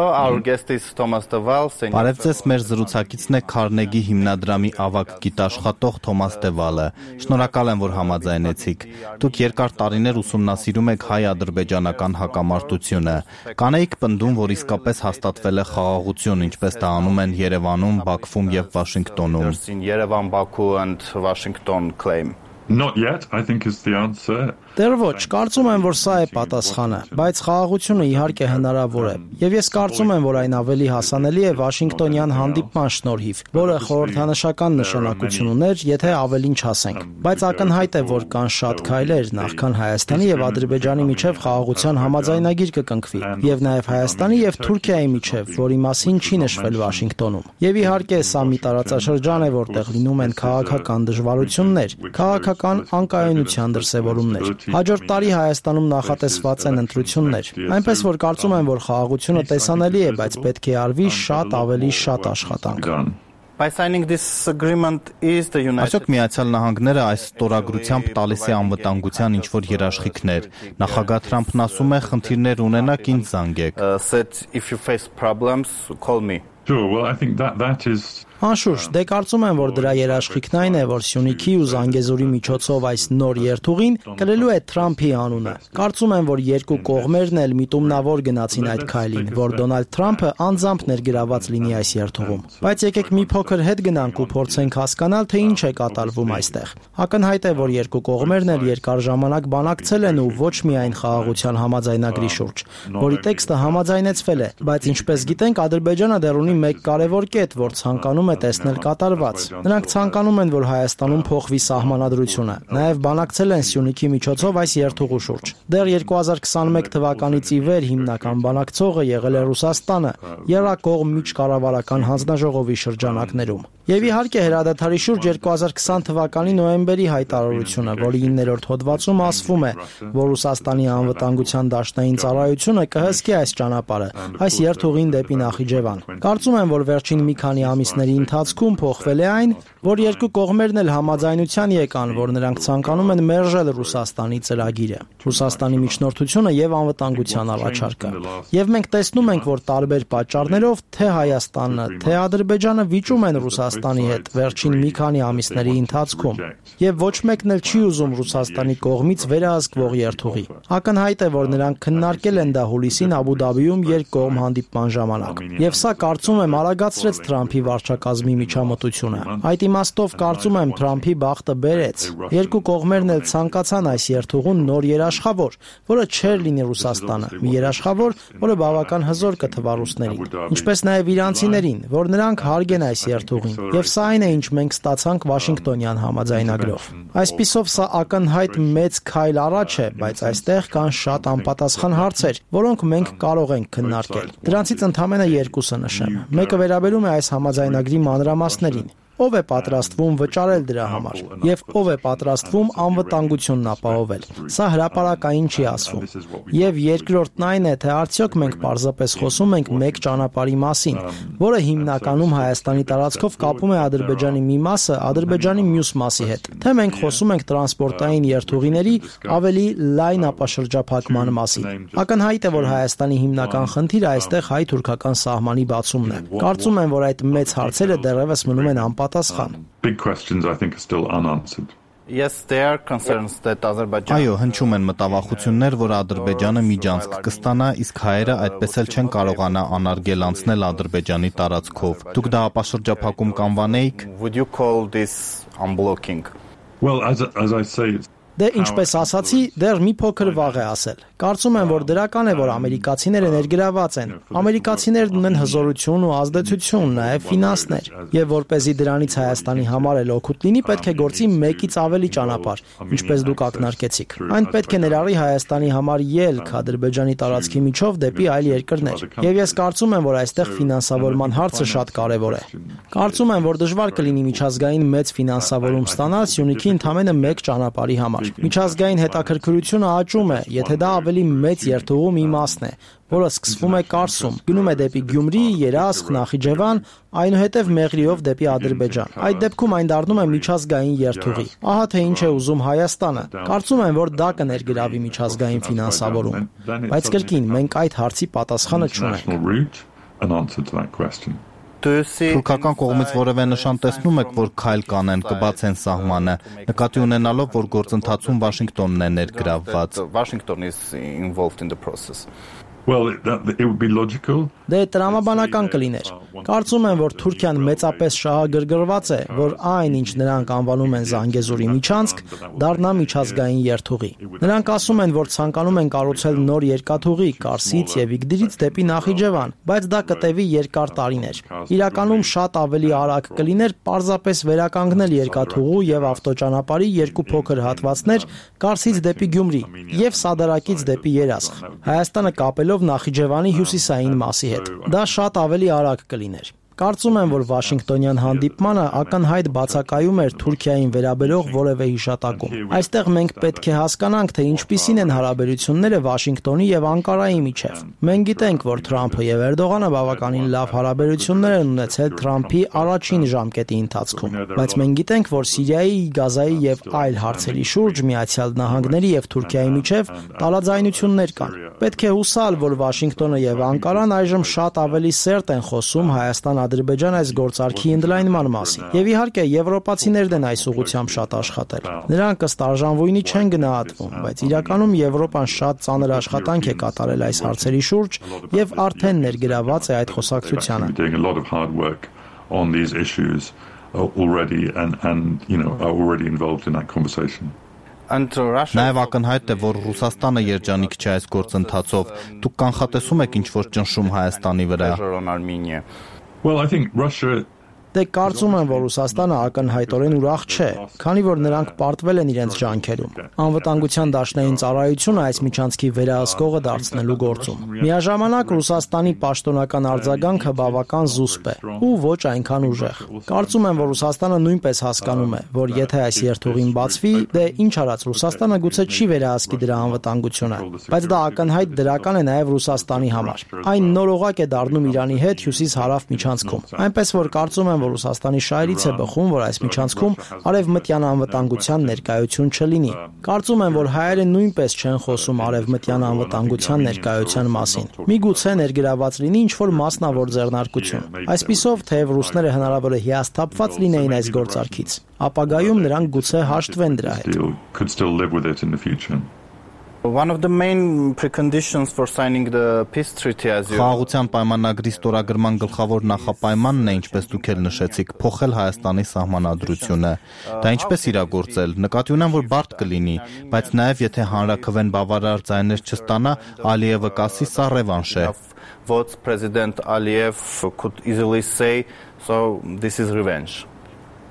our guest is Thomas de Waal. Բարև ձեզ, մեր զրուցակիցն է Քարնեգի հիմնադրամի ավագ գիտաշխատող Թոմաս դե Վալը։ Շնորհակալ եմ, որ համաձայնեցիք։ Դուք երկար տարիներ ուսումնասիրում եք հայ-ադրբեջանական հակամարտությունը։ Կանեիք պնդում, որ իսկապես հաստատվել է խաղաղություն, ինչպես դա անում են Երևանում, Բաքվում եւ Վաշինգտոնում։ Yerevan, Baku and Washington claim. Not yet, I think is the answer. Դեռ ոչ, կարծում եմ, որ սա է պատասխանը, բայց խաղաղությունը իհարկե հնարավոր է։ Եվ ես կարծում եմ, որ այն ավելի հասանելի է Վաշինգտոնյան հանդիպման շնորհիվ, որը խորհրդանշական նշանակություն ուներ, եթե ավելին չասենք։ Բայց ակնհայտ է, որ կան շատ քայլեր, նախքան Հայաստանի եւ Ադրբեջանի միջև խաղաղության համաձայնագիր կկնքվի, եւ նաեւ Հայաստանի եւ Թուրքիայի միջև, որի մասին չի նշվել Վաշինգտոնում։ Եվ իհարկե սա մի տարածաշրջան է, որտեղ լինում են քաղաքական դժվարություններ, քաղաքական անկայունության դրսևորումներ։ Հաջորդ տարի Հայաստանում նախատեսված են ընտրություններ, այնպես որ կարծում եմ, որ խաղաղությունը տեսանելի է, բայց պետք է արվի շատ ավելի շատ աշխատանք։ By signing this agreement is the United Այսօք Միացյալ Նահանգները այս ստորագրությամբ տալիս է անվտանգության ինչ-որ երաշխիքներ։ Նախագահ Թրամփն ասում է, խնդիրներ ունենաք, ինձ զանգեք։ said if you face problems, call me. Sure, well, I think that is... Անշուշտ, դե կարծում եմ, որ դրա երաշխիքն այն է, որ Սյունիքի ու Զանգեզուրի միջոցով այս նոր երթուղին կրելու է Թրամփի անունը։ Կարծում եմ, որ երկու կողմերն էլ միտումնավոր գնացին այդ քայլին, որ Դոնալդ Թրամփը անձամբ ներգրաված լինի այս երթուղում։ Բայց եկեք մի փոքր հետ գնանք ու փորձենք հասկանալ, թե ինչ է կատարվում այստեղ։ Ակնհայտ է, որ երկու կողմերն էլ երկար ժամանակ բանակցել են ու ոչ միայն խաղաղության համաձայնագրի շուրջ, որի տեքստը համաձայնեցվել է, բայց ինչպես գիտենք, Ադրբեջանը դեռ ունի մեկ կարևոր կետ, որ ցանկանում է տեսնել կատարված։ Նրանք ցանկանում են, որ Հայաստանում փոխվի սահմանադրությունը։ Նաև բանակցել են Սյունիքի միջոցով այս երթուղու շուրջ։ Դեռ 2021 թվականից ի վեր հիմնական բանակցողը եղել է Ռուսաստանը, Եռակողմ միջկառավարական հանձնաժողովի շրջանակներում։ Եվ իհարկե հրադադարի շուրջ 2020 թվականի նոյեմբերի հայտարարությունը, որի 9-րդ հոդվածում ասվում է, որ Ռուսաստանի անվտանգության դաշնային ծառայությունը կհսկի այս ճանապարհը, այս երթուղին դեպի Նախիջևան։ Կարծում եմ, որ վերջին մի քանի ամիսների ընթացքում փոխվել է այն, որ երկու կողմերն էլ համաձայնության եկան, որ նրանք ցանկանում են մերժել Ռուսաստանի ծրագիրը, Ռուսաստանի միջնորդությունը եւ անվտանգության առաջարկը։ Եվ մենք տեսնում ենք, որ տարբեր պատճառներով թե Հայաստանը, թե Ադրբեջանը վիճում են Ռուսաստանի հետ վերջին մի քանի ամիսների ընթացքում, եւ ոչ մեկն էլ չի ուզում Ռուսաստանի կողմից վերահսկվող երթուղի։ Ակնհայտ է, որ նրանք քննարկել են դա հուլիսին Աբու Դաբիում երկկողմ հանդիպման ժամանակ։ Եվ սա կարծում եմ արագացրեց Թրամփի վարչակազմի միջամտությունը։ Այդ իմաստով կարծում եմ Թրամփի բախտը բերեց։ Երկու կողմերն էլ ցանկացան այս երթուղուն նոր երաշխավոր, որը չէր լինի Ռուսաստանը, մի երաշխավոր, որը բավական հզոր կթվա ռուսներին, ինչպես նաև իրանցիներին, որ նրանք հարգեն այս երթուղին։ Եվ սա այն է, ինչ մենք ստացանք Վաշինգտոնյան համաձայնագրով։ Այսպիսով սա ակնհայտ մեծ քայլ առաջ է, բայց այստեղ կան շատ անպատասխան հարցեր, որոնք մենք կարող ենք քննարկել։ Դրանցից ընդամենը երկուսը նշեմ։ Մեկը վերաբերում է այս համաձայնագրի մանրամասներին։ Ով է պատրաստվում վճարել դրա համար եւ ով է պատրաստվում անվտանգությունն ապահովել։ Սա հրապարակային չի ասվում։ Եվ երկրորդն այն է, թե արդյոք մենք պարզապես խոսում ենք մեկ ճանապարհի մասին, որը հիմնականում Հայաստանի տարածքով կապում է Ադրբեջանի մի մասը Ադրբեջանի մյուս մասի հետ, թե մենք խոսում ենք տրանսպորտային երթուղիների ավելի լայն ապաշրջափակման մասին։ Ակնհայտ է, որ Հայաստանի հիմնական խնդիրը այստեղ հայ-թուրքական սահմանի բացումն է։ Կարծում եմ, որ այդ մեծ հարցերը դեռևս մնում են անպատասխան։ Big questions I think are still unanswered. Yes, there are concerns that Azerbaijan. Այո, հնչում են մտավախություններ, որ Ադրբեջանը միջանցք կստանա, իսկ հայերը այդպես էլ չեն կարողանա անարգել անցնել Ադրբեջանի տարածքով։ Դուք դա ապաշրջափակում կանվանեիք? Would you call this unblocking? Well, as I say, Դե ինչպես ասացի, դեռ մի փոքր վաղ է ասել։ Կարծում եմ, որ դրական է, որ ամերիկացիները ներգրաված են։ Ամերիկացիներն ունեն հզորություն ու ազդեցություն, նաև ֆինանսներ, եւ որպեսզի դրանից Հայաստանի համար էլ օգուտ լինի, պետք է գործի մեկից ավելի ճանապարհ, ինչպես դուք ակնարկեցիք։ Այն պետք է ներառի Հայաստանի համար ելք Ադրբեջանի տարածքի միջով դեպի այլ երկրներ։ Եվ ես կարծում եմ, որ այստեղ ֆինանսավորման հարցը շատ կարեւոր է։ Կարծում եմ, որ դժվար կլինի միջազգային մեծ ֆինանսավորում ստանալ Սյունիքի ընդամենը մեկ ճանապարհի համար։ Միջազգային հետաքրքրությունը աճում է, եթե դա ավելի մեծ երթուղու մի մասն է, որը սկսվում է Կարսում, գնում է դեպի Գյումրի, Երասխ, Նախիջևան, այնուհետև Մեղրիով դեպի Ադրբեջան։ Այդ դեպքում այն դառնում է միջազգային երթուղի։ Ահա թե ինչ է ուզում Հայաստանը։ Կարծում եմ, որ դա կներգրավի միջազգային ֆինանսավորում։ Բայց կրկին, մենք այդ հարցի պատասխանը չունենք։ Թուրքական կողմից որևէ նշան տեսնում եք, որ քայլ կանեն, կբացեն սահմանը, նկատի ունենալով, որ գործընթացում Վաշինգտոնն է ներգրավված։ Washington is involved in the process. Well, it would be logical. Դե տրամաբանական կլիներ։ Կարծում եմ, որ Թուրքիան մեծապես շահագրգռված է, որ այն, ինչ նրանք անվանում են Զանգեզուրի միջանցք, դառնա միջազգային երթուղի։ Նրանք ասում են, որ ցանկանում են կառուցել նոր երկաթուղի Կարսից եւ Իգդիրից դեպի Նախիջևան, բայց դա կտևի երկար տարիներ։ Իրականում շատ ավելի արագ կլիներ պարզապես վերականգնել երկաթուղու եւ ավտոճանապարհի երկու փոքր հատվածներ Կարսից դեպի Գյումրի եւ Սադարակից դեպի Երասխ։ Հայաստանը կապելով Նախիջևանի հյուսիսային մասի հետ։ Դա շատ ավելի արագ կլիներ։ Կարծում եմ, որ Վաշինգտոնյան հանդիպմանը ակնհայտ բացակայում էր Թուրքիային վերաբերող որևէ հիշատակում։ Այստեղ մենք պետք է հասկանանք, թե ինչպիսին են հարաբերությունները Վաշինգտոնի եւ Անկարայի միջև։ Մենք գիտենք, որ Թրամփը եւ Էրդողանը բավականին լավ հարաբերություններ են ունեցել Թրամփի առաջին ժամկետի ընթացքում, բայց մենք գիտենք, որ Սիրիայի, Գազայի եւ այլ հարցերի շուրջ Միացյալ Նահանգների եւ Թուրքիայի միջև տարաձայնություններ կան։ Պետք է հուսալ, որ Վաշինգտոնը եւ Անկարան այժմ շատ ավելի սերտ են խոսում Հայաստան-Ադրբեջան այս գործարքի ընդլայնման մասին։ Եվ իհարկե եվրոպացիներն են այս ուղղությամբ շատ աշխատել։ Նրանք ըստ արժանվույնի չեն գնահատվում, բայց իրականում Եվրոպան շատ ծանր աշխատանք է կատարել այս հարցերի շուրջ եւ արդեն ներգրաված է այդ խոսակցությանը։ On these issues already and are already involved in that conversation. Նաև ակնհայտ է, որ Ռուսաստանը երջանիկ չէ այս գործընթացով։ Դուք կանխատեսում եք ինչ-որ ճնշում Հայաստանի վրա։ Well, I think Russia Դե կարծում եմ, որ Ռուսաստանը ակնհայտորեն ուրախ չէ, քանի որ նրանք պարտվել են իրենց ջանքերում։ Անվտանգության դաշնային ծառայությունը այս միջանցքի վերահսկողը դարձնելու գործում։ Միաժամանակ Ռուսաստանի պաշտոնական արձագանքը բավական զուսպ է ու ոչ այնքան ուժեղ։ Կարծում եմ, որ Ռուսաստանը նույնպես հասկանում է, որ եթե այս երթուղին բացվի, դե ինչ արած Ռուսաստանը գուցե չի վերահսկի դրա անվտանգությունը, բայց դա ակնհայտ դրական է նաև Ռուսաստանի համար։ Այն նորօղակ է դառնում Իրանի հետ հյուսիս-հարավ միջանցքում։ Այնպես որ կարծում եմ, որ Ռուսաստանի շահերից է բխում, որ այս միջանցքում արևմտյան անվտանգության ներկայություն չլինի։ Կարծում եմ, որ հայերը նույնպես չեն խոսում արևմտյան անվտանգության ներկայության մասին։ Միգուցե ներգրաված լինի ինչ-որ մասնավոր ձեռնարկություն։ Այսպիսով, թեև ռուսները հնարավոր է հիասթափված լինեին այս գործարքից, ապագայում նրանք գուցե հաշտվեն դրա հետ։ One of the main preconditions for signing the peace treaty as you Խաղաղության պայմանագրի ստորագրման գլխավոր նախապայմանն է, ինչպես դուք էլ նշեցիք, փոխել Հայաստանի սահմանադրությունը։ Դա ինչպես իրագործել։ Նկատի ունեմ, որ բարդ կլինի, բայց նաև եթե հանրաքվեն բավարար ձայներ չստանա, Ալիևը կասի սա ռևանշ է։ Votes President Aliyev could easily say, so this is revenge.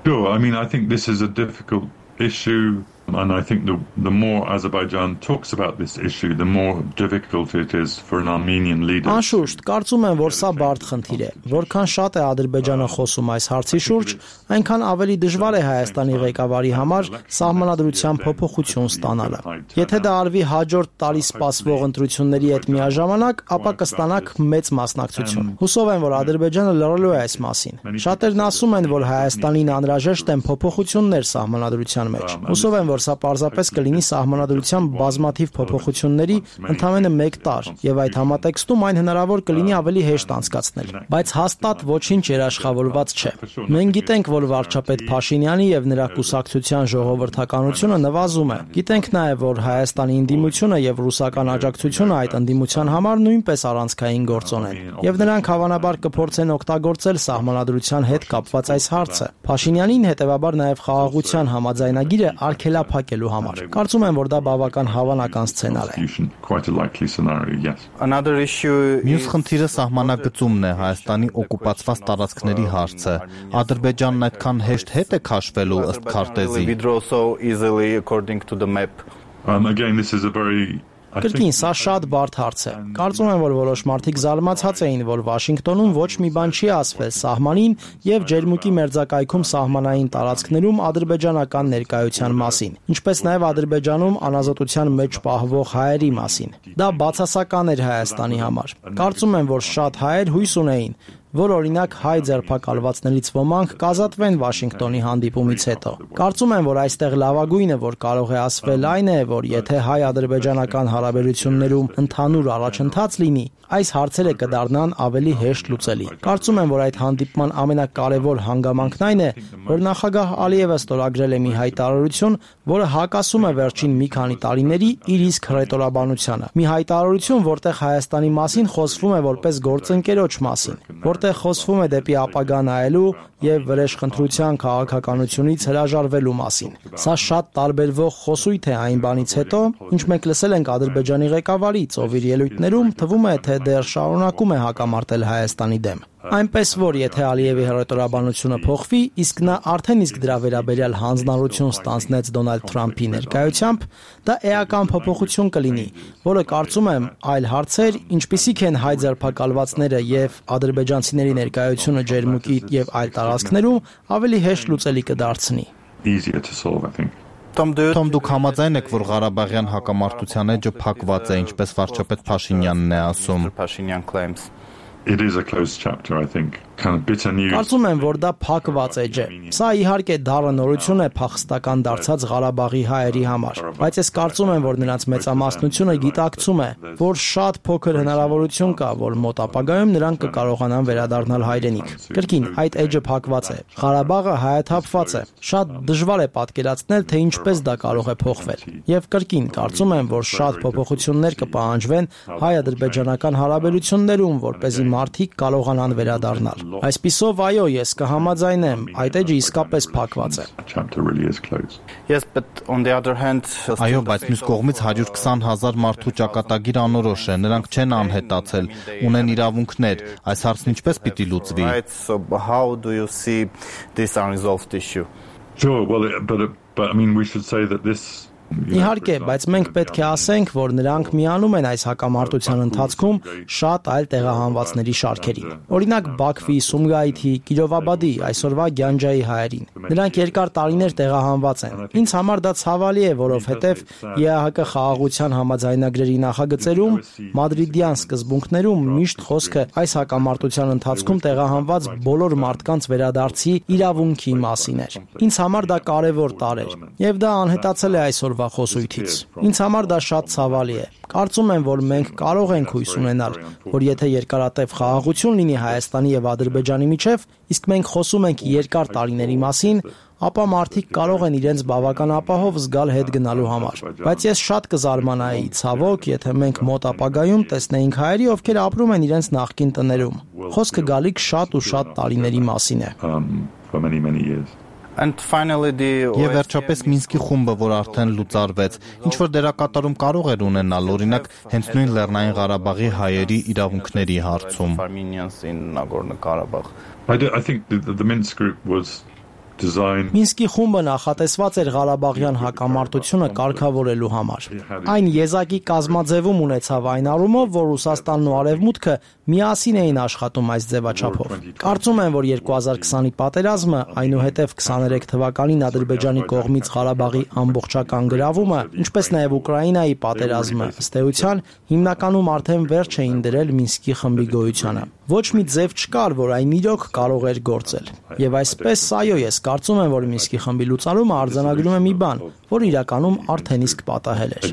Sure, I mean, I think this is a difficult issue. And I think the more Azerbaijan talks about this issue, the more difficult it is for an Armenian leader. Անշուշտ, կարծում եմ, որ սա բարդ խնդիր է։ Որքան շատ է Ադրբեջանը խոսում այս հարցի շուրջ, այնքան ավելի դժվար է Հայաստանի ղեկավարի համար սահմանադրության փոփոխություն ստանալը։ Եթե դա արվի հաջորդ տարի սպասվող ընտրությունների հետ միաժամանակ, ապա կստանաք մեծ մասնակցություն։ Հուսով եմ, որ Ադրբեջանը լռելու է այս մասին։ Շատերն ասում են, որ Հայաստանին անհրաժեշտ են փոփոխություններ սահմանադրության մեջ։ Հուսով եմ, որ սա պարզապես կլինի սահմանադրության բազմաթիվ փոփոխությունների ընդամենը 1 տարի, եւ այդ համատեքստում այն հնարավոր կլինի ավելի հեշտ անցկացնել, բայց հաստատ ոչինչ երաշխավորված չէ։ Մենք գիտենք, որ վարչապետ Փաշինյանի եւ նրա կուսակցության ժողովրդականությունը նվազում է։ Գիտենք նաեւ, որ Հայաստանի ընդդիմությունը եւ ռուսական աջակցությունը այդ ընդդիմության համար նույնպես առանցքային գործոն են, եւ նրանք հավանաբար կփորձեն օգտագործել սահմանադրության հետ կապված այս հարցը։ Փաշինյանին հետեւաբար նաեւ խաղաղության համաձայնագիրը արգելափակելու համար։ Կարծում եմ, որ դա բավական հավանական սցենար է։ Another issue Մյուս խնդիրը սահմանագծումն է, Հայաստանի օկուպացված տարածքների հարցը։ Ադրբեջանն այդքան հեշտ հետ է քաշվելու ըստ քարտեզի։ withdraw so easily according to the map. Again, this is a very Կրկին, սա շատ բարդ հարց է։ Կարծում եմ, որ որոշ մարդիկ զարմացած էին, որ Վաշինգտոնում ոչ մի բան չի ասվել սահմանին եւ ջերմուկի մերձակայքում սահմանային տարածքներում ադրբեջանական ներկայության մասին, ինչպես նաեւ Ադրբեջանում անազատության մեջ պահվող հայերի մասին։ Դա բացասական էր Հայաստանի համար։ Կարծում եմ, որ շատ հայեր հույս ունեին, որ օրինակ հայ ձերբակալվածներից ոմանք կազատվեն Վաշինգտոնի հանդիպումից հետո։ Կարծում եմ, որ այստեղ լավագույնը, որ կարող է ասվել, այն է, որ եթե հայ-ադրբեջանական հարաբերություններում ընդհանուր առաջընթաց լինի, այս հարցերը կդառնան ավելի հեշտ լուծելի։ Կարծում եմ, որ այդ հանդիպման ամենակարևոր հանգամանքն այն է, որ նախագահ Ալիևը ստորագրել է մի հայտարարություն, որը հակասում է վերջին մի քանի տարիների իր իսկ հռետորաբանությանը։ Մի հայտարարություն, որտեղ Հայաստանի մասին խոսվում է որպես գործընկերոջ մասին, որտեղ խոսվում է դեպի ապագա նայելու եւ վրեժխնդրության քաղաքականությունից հրաժարվելու մասին։ Սա շատ տարբերվող խոսույթ է այն բանից հետո, ինչ մենք լսել ենք Ադրբեջանի ղեկավարից, ով իր ելույթներում թվում է, թե դեռ շարունակում է հակամարտել Հայաստանի դեմ։ Այնպես որ եթե Ալիևի հռետորաբանությունը փոխվի, իսկ նա արդեն իսկ դրա վերաբերյալ հանձնառություն ստանձնեց Դոնալդ Թրամփի ներկայությամբ, դա էական փոփոխություն կլինի, որը կարծում եմ այլ հարցեր, ինչպիսիք են հայ ձերբակալվածները եւ ադրբեջանցիների ներկայությունը ջերմուկի եւ այլ տարածքներում, ավելի հեշտ լուծելի կդարձնի։ Թոմ, դուք համաձայն եք, որ Ղարաբաղյան հակամարտության էջը փակված է, ինչպես վարչապետ Փաշինյանն է ասում։ It is a closed chapter, I think. Kind of bitter news. Կարծում եմ, որ դա փակված էջ է։ Սա իհարկե դառը նորություն է փախստական դարձած Ղարաբաղի հայերի համար, բայց ես կարծում եմ, որ նրանց մեծամասնությունը գիտակցում է, որ շատ փոքր հնարավորություն կա, որ մոտ ապագայում նրանք կկարողանան վերադառնալ հայրենիք։ Կրկին, այդ էջը փակված է։ Ղարաբաղը հայաթափված է։ Շատ դժվար է պատկերացնել, թե ինչպես դա կարող է փոխվել։ Եվ կրկին, կարծում եմ, որ շատ փոփոխություններ կպահանջվեն հայ-ադրբեջանական հարաբերություններում, որպեսզի մարդիկ կարողանան վերադառնալ։ Այսպիսով, այո, ես կհամաձայնեմ, այդ էջը իսկապես փակված է։ Yes, but on the other hand, այո, բայց մյուս կողմից 120,000 մարդու ճակատագիր անորոշ է, նրանք չեն անհետացել, ունեն իրավունքներ, այս հարցն ինչպես պիտի լուծվի։ So how do you see this unresolved issue? Sure, well, but I mean, we should say that this. Իհարկե, բայց մենք պետք է ասենք, որ նրանք միանում են այս հակամարտության ընթացքում շատ այլ տեղահանվածների շարքերին։ Օրինակ Բաքվի, Սումգայիթի, Կիրովաբադի, այսօրվա Գյանջայի հայերին։ Նրանք երկար տարիներ տեղահանված են։ Ինձ համար դա ցավալի է, որովհետև ԵԱՀԿ խաղաղության համաձայնագրերի նախագծերում մադրիդյան սկզբունքներում միշտ խոսքը այս հակամարտության ընթացքում տեղահանված բոլոր մարդկանց վերադարձի իրավունքի մասին էր։ Ինձ համար դա կարևոր տարր էր, եւ դա անհետացել է այսօր խոսույթից։ Ինձ համար դա շատ ցավալի է։ Կարծում եմ, որ մենք կարող ենք հույս ունենալ, որ եթե երկարատև խաղաղություն լինի Հայաստանի եւ Ադրբեջանի միջև, իսկ մենք խոսում ենք երկար տարիների մասին, ապա մարդիկ կարող են իրենց բավական ապահով զգալ հետ գնալու համար։ Բայց ես շատ կզարմանայի, ցավոք, եթե մենք մոտ ապագայում տեսնեինք հայերի, ովքեր ապրում են իրենց նախկին տներում։ Խոսքը գալիք շատ ու շատ տարիների մասին է։ And finally Եվ վերջապես Մինսկի խումբը, որ արդեն լուծարվեց, ինչ որ դերակատարում կարող էր ունենալ, օրինակ, հենց նույն Լեռնային Ղարաբաղի հայերի իրավունքների հարցում։ I think the Minsk group was designed. Մինսկի խումբը նախատեսված էր Ղարաբաղյան հակամարտությունը կարգավորելու համար։ Այն եզակի կազմաձևում ունեցավ այն առումով, որ Ռուսաստանն ու Արևմուտքը միասին էին աշխատում այս ձևաչափով։ Կարծում եմ, որ 2020-ի պատերազմը, այնուհետև 23 թվականին Ադրբեջանի կողմից Ղարաբաղի ամբողջական գրավումը, ինչպես նաև Ուկրաինայի պատերազմը, ըստ էության, հիմնականում արդեն վերջ էին դրել Մինսկի խմբի գոյությանը։ Ոչ մի ձև չկար, որ այն իրոք կարող էր գործել։ Եվ այսպես, այո, ես կարծում եմ, որ Մինսկի խմբի լուծարումը արձանագրում է մի բան, որ իրականում արդեն իսկ պատահել էր։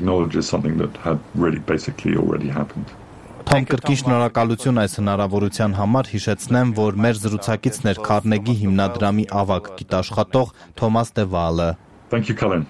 Թոմ, կրկին շնորհակալություն այս հնարավորության համար, հիշեցնեմ, որ մեր զրուցակիցն էր Քարնեգի հիմնադրամի ավագ գիտաշխատող Թոմաս դե Վալը։ Thank you, Colin.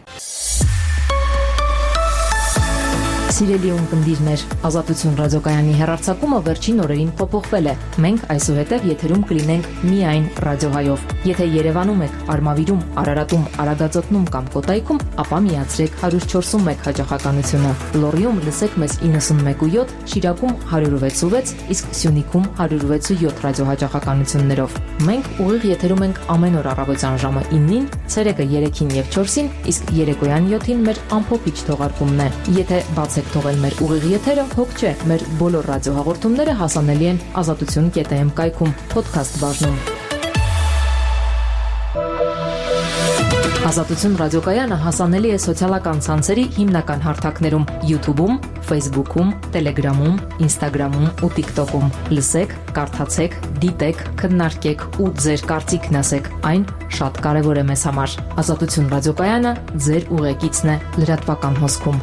Սիրելի ունկնդիրներ, Ազատություն ռադիոկայանի հեռարձակումը վերջին օրերին փոփոխվել է։ Մենք այսուհետև եթերում կլինենք միայն ռադիոհայով։ Եթե Երևանում եք, Արմավիրում, Արարատում, Արագածոտնում կամ Կոտայքում, ապա միացրեք 104.1 հաճախականությունը։ Լոռիում լսեք մեզ 91.7, Շիրակում 106.6, իսկ Սյունիքում 106.7 ռադիոհաճախականություններով։ Մենք ուղիղ եթերում ենք ամեն օր առավոտյան ժամը 9-ին, ցերեկը 3-ին եւ 4-ին, իսկ երեկոյան 7-ին մեր ամփոփիչ թողարկումն է։ Եթե բացեք թողել մեր ուղիղ եթերը, հոգ չէ, մեր բոլոր ռադիոհաղորդումները հասանելի են azatutun.am կայքում, podcast բաժնում։ Ազատություն ռադիոկայանը հասանելի է սոցիալական ցանցերի հիմնական հարթակներում՝ YouTube-ում, Facebook-ում, Telegram-ում, Instagram-ում ու TikTok-ում։ Լսեք, կարդացեք, դիտեք, քննարկեք ու ձեր կարծիքն ասեք։ Այն շատ կարևոր է մեզ համար։ Ազատություն ռադիոկայանը ձեր ուղեկիցն է լրատվական հոսքում։